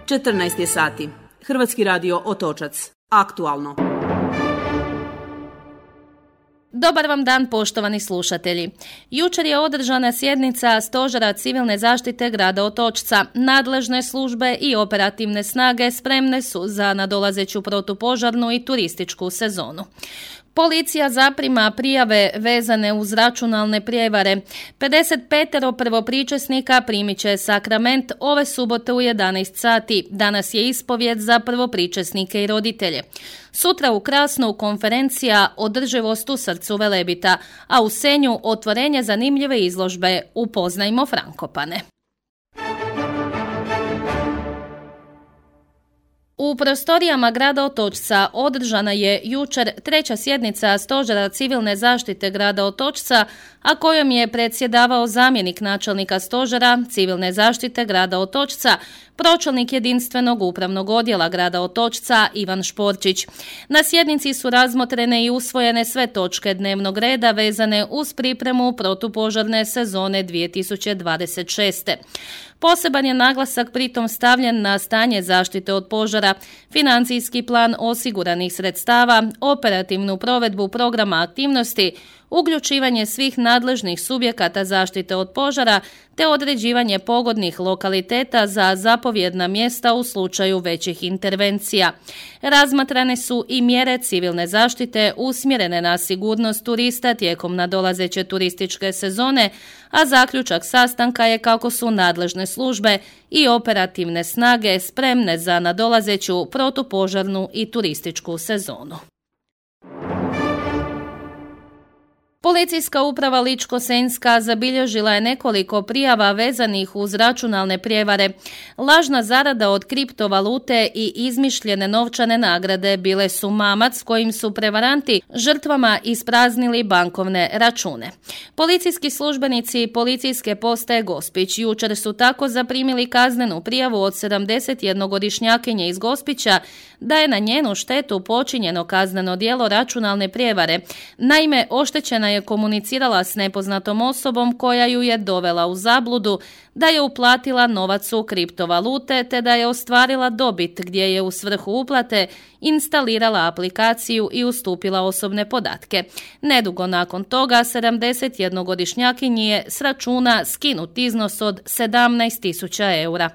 14 je sati. Hrvatski radio Otočac. Aktualno. Dobar vam dan, poštovani slušatelji. Jučer je održana sjednica Stožera civilne zaštite grada Otočca. Nadležne službe i operativne snage spremne su za nadolazeću protupožarnu i turističku sezonu. Policija zaprima prijave vezane uz računalne prijevare. 55 prvopričesnika primit će sakrament ove subote u 11 sati. Danas je ispovjed za prvopričesnike i roditelje. Sutra u Krasnu konferencija Održivost u srcu Velebita, a u Senju otvorenje zanimljive izložbe Upoznajmo Frankopane. U prostorijama grada Otočca održana je jučer 3. sjednica Stožera civilne zaštite grada Otočca, a kojom je predsjedavao zamjenik načelnika Stožera civilne zaštite grada Otočca, pročelnik jedinstvenog upravnog odjela grada Otočca Ivan Šporčić. Na sjednici su razmotrene i usvojene sve točke dnevnog reda vezane uz pripremu protupožarne sezone 2026. Poseban je naglasak pritom stavljen na stanje zaštite od požara, financijski plan osiguranih sredstava, operativnu provedbu programa aktivnosti, uključivanje svih nadležnih subjekata zaštite od požara te određivanje pogodnih lokaliteta za zapovjedna mjesta u slučaju većih intervencija. Razmatrane su i mjere civilne zaštite usmjerene na sigurnost turista tijekom nadolazeće turističke sezone, a zaključak sastanka je kako su nadležne službe i operativne snage spremne za nadolazeću protupožarnu i turističku sezonu. Policijska uprava Ličko-senjska zabilježila je nekoliko prijava vezanih uz računalne prijevare. Lažna zarada od kriptovalute i izmišljene novčane nagrade bile su mamac kojim su prevaranti žrtvama ispraznili bankovne račune. Policijski službenici policijske postaje Gospić jučer su tako zaprimili kaznenu prijavu od 71-godišnjakinje iz Gospića da je na njenu štetu počinjeno kazneno djelo računalne prijevare. Naime, oštećena je komunicirala s nepoznatom osobom koja ju je dovela u zabludu da je uplatila novac u kriptovalute te da je ostvarila dobit gdje je u svrhu uplate instalirala aplikaciju i ustupila osobne podatke. Nedugo nakon toga 71-godišnjakinji je s računa skinut iznos od 17.000 eura.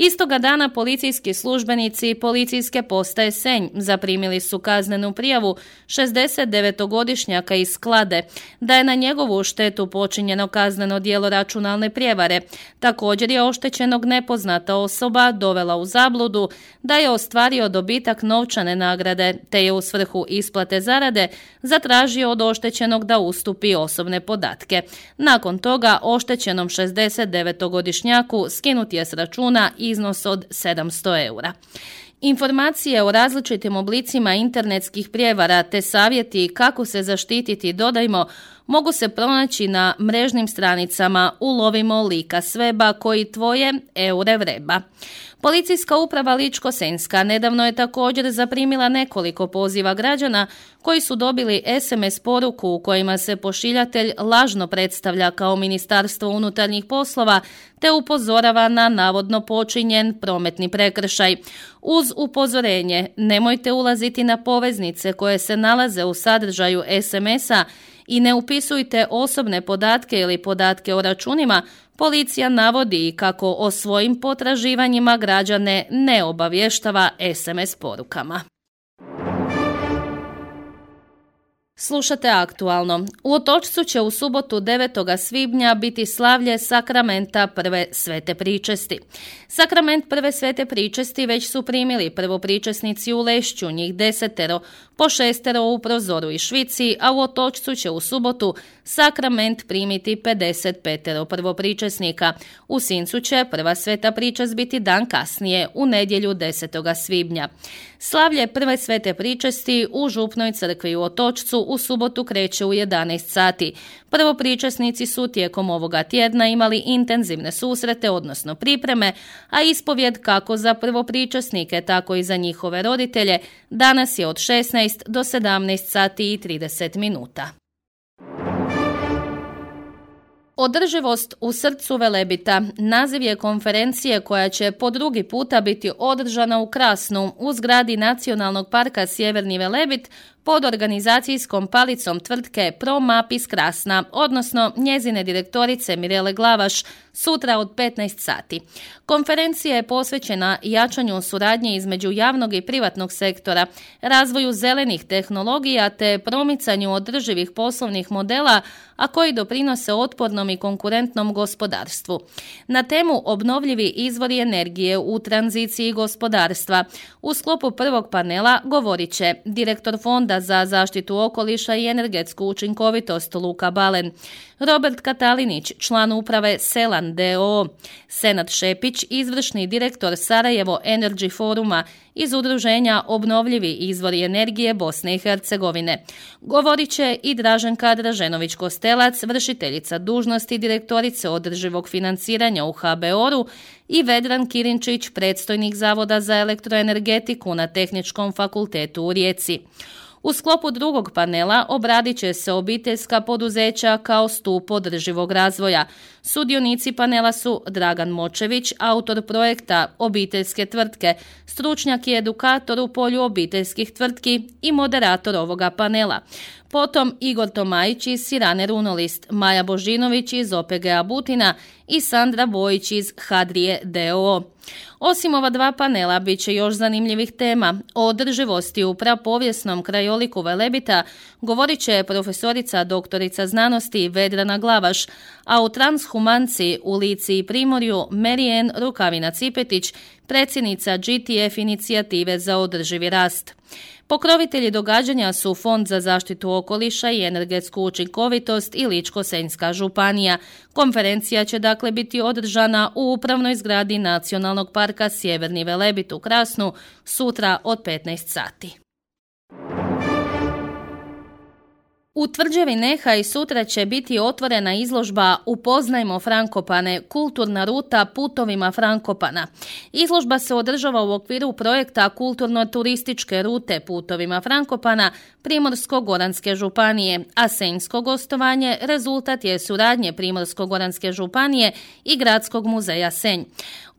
Istoga dana policijski službenici policijske postaje Senj zaprimili su kaznenu prijavu 69-godišnjaka iz Sklade da je na njegovu štetu počinjeno kazneno djelo računalne prijevare. Također je oštećenog nepoznata osoba dovela u zabludu da je ostvario dobitak novčane nagrade te je u svrhu isplate zarade zatražio od oštećenog da ustupi osobne podatke. Nakon toga oštećenom 69-godišnjaku skinut je s računa iznos od 700 eura. Informacije o različitim oblicima internetskih prijevara te savjeti kako se zaštititi, dodajmo, mogu se pronaći na mrežnim stranicama Ulovimo lika s weba koji tvoje eure vreba. Policijska uprava Ličko-senjska nedavno je također zaprimila nekoliko poziva građana koji su dobili SMS poruku u kojima se pošiljatelj lažno predstavlja kao Ministarstvo unutarnjih poslova te upozorava na navodno počinjen prometni prekršaj. Uz upozorenje nemojte ulaziti na poveznice koje se nalaze u sadržaju SMS-a i ne upisujte osobne podatke ili podatke o računima. Policija navodi kako o svojim potraživanjima građane ne obavještava SMS porukama. Slušate aktualno. U Otočcu će u subotu 9. svibnja biti slavlje sakramenta prve svete pričesti. Sakrament prve svete pričesti već su primili prvopričesnici u Lešću, njih 10, po 6 u Prozoru i Švici, a u Otočcu će u subotu sakrament primiti 55 prvopričesnika. U Sincu će prva sveta pričest biti dan kasnije, u nedjelju 10. svibnja. Slavlje prve svete pričesti u Župnoj crkvi u Otočcu u subotu kreće u 11 sati. Prvopričesnici su tijekom ovoga tjedna imali intenzivne susrete, odnosno pripreme, a ispovjed kako za prvopričesnike, tako i za njihove roditelje danas je od 16 do 17 sati i 30 minuta. Održivost u srcu Velebita naziv je konferencije koja će po drugi puta biti održana u Krasnu u zgradi Nacionalnog parka Sjeverni Velebit pod organizacijskom palicom tvrtke ProMap iz Krasna, odnosno njezine direktorice Mirele Glavaš, sutra od 15 sati. Konferencija je posvećena jačanju suradnje između javnog i privatnog sektora, razvoju zelenih tehnologija te promicanju održivih poslovnih modela, a koji doprinose otpornom i konkurentnom gospodarstvu. Na temu obnovljivi izvori energije u tranziciji gospodarstva u sklopu prvog panela govorit će direktor Fonda za zaštitu okoliša i energetsku učinkovitost Luka Balen, Robert Katalinić, član uprave Selan d.o.o., Senad Šepić, izvršni direktor Sarajevo Energy Foruma iz udruženja Obnovljivi izvori energije Bosne i Hercegovine. Govorit će i Draženka Draženović-Kostelac, vršiteljica dužnosti direktorice održivog financiranja u HBOR-u i Vedran Kirinčić, predstojnik Zavoda za elektroenergetiku na Tehničkom fakultetu u Rijeci. U sklopu drugog panela obradit će se obiteljska poduzeća kao stup održivog razvoja. Sudionici panela su Dragan Močević, autor projekta Obiteljske tvrtke, stručnjak i edukator u polju obiteljskih tvrtki i moderator ovoga panela. Potom Igor Tomajić iz Sirane Runolist, Maja Božinović iz OPG-a Butina i Sandra Bojić iz Hadrije d.o.o. Osim ova dva panela, bit će još zanimljivih tema. O održivosti u prapovijesnom krajoliku Velebita govorit će profesorica doktorica znanosti Vedrana Glavaš, a u transhumanciji u Lici i Primorju Marijen Rukavina-Cipetić, predsjednica GTF inicijative za održivi rast. Pokrovitelji događanja su Fond za zaštitu okoliša i energetsku učinkovitost i Ličko-senjska županija. Konferencija će dakle biti održana u upravnoj zgradi Nacionalnog parka Sjeverni Velebit u Krasnu sutra od 15 sati. U tvrđavi Nehaj sutra će biti otvorena izložba Upoznajmo Frankopane, kulturna ruta putovima Frankopana. Izložba se održava u okviru projekta kulturno-turističke rute putovima Frankopana Primorsko-goranske županije, a senjsko gostovanje rezultat je suradnje Primorsko-goranske županije i Gradskog muzeja Senj.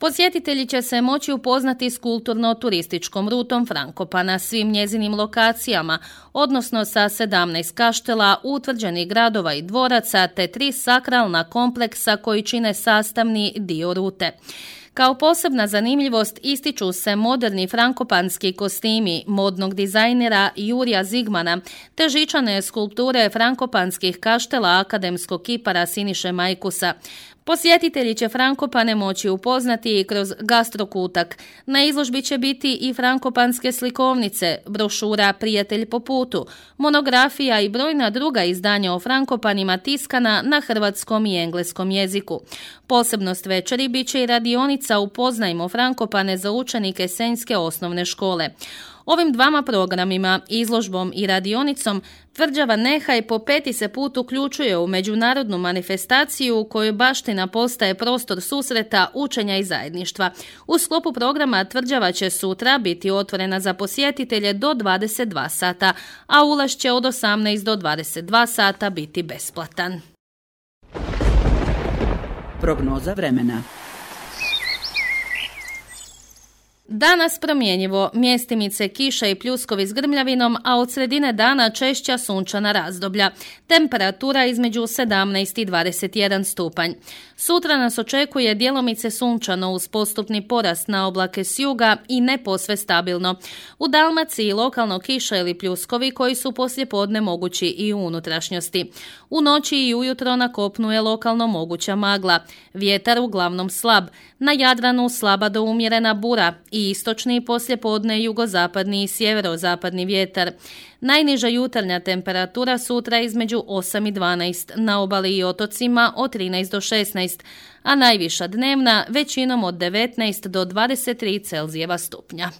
Posjetitelji će se moći upoznati s kulturno-turističkom rutom Frankopana, svim njezinim lokacijama, odnosno sa 17 kaštela, utvrđenih gradova i dvoraca te 3 sakralna kompleksa koji čine sastavni dio rute. Kao posebna zanimljivost ističu se moderni frankopanski kostimi modnog dizajnera Jurija Zigmana te žičane skulpture frankopanskih kaštela akademskog kipara Siniše Majkusa. Posjetitelji će Frankopane moći upoznati i kroz gastrokutak. Na izložbi će biti i frankopanske slikovnice, brošura Prijatelj po putu, monografija i brojna druga izdanja o Frankopanima tiskana na hrvatskom i engleskom jeziku. Posebnost večeri bit će i radionica Upoznajmo Frankopane za učenike Senjske osnovne škole. Ovim dvama programima, izložbom i radionicom, tvrđava Nehaj po 5. se put uključuje u međunarodnu manifestaciju u kojoj baština postaje prostor susreta, učenja i zajedništva. U sklopu programa tvrđava će sutra biti otvorena za posjetitelje do 22 sata, a ulaz će od 18 do 22 sata biti besplatan. Prognoza vremena. Danas promjenjivo, mjestimice kiša i pljuskovi s grmljavinom, a od sredine dana češća sunčana razdoblja. Temperatura između 17 i 21 stupanj. Sutra nas očekuje djelomice sunčano uz postupni porast na oblake s juga i ne posve stabilno. U Dalmaciji lokalno kiša ili pljuskovi koji su poslijepodne mogući i u unutrašnjosti. U noći i ujutro na kopnu je lokalno moguća magla. Vjetar uglavnom slab. Na Jadranu slaba do umjerena bura i istočni poslijepodne jugozapadni i sjeverozapadni vjetar. Najniža jutarnja temperatura sutra između 8 i 12, na obali i otocima od 13 do 16, a najviša dnevna većinom od 19 do 23 Celzijeva stupnja.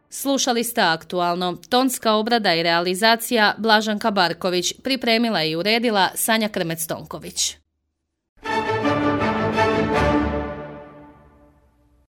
Slušali ste aktualno. Tonska obrada i realizacija Blaženka Barković, pripremila i uredila Sanja Krmec-Tonković.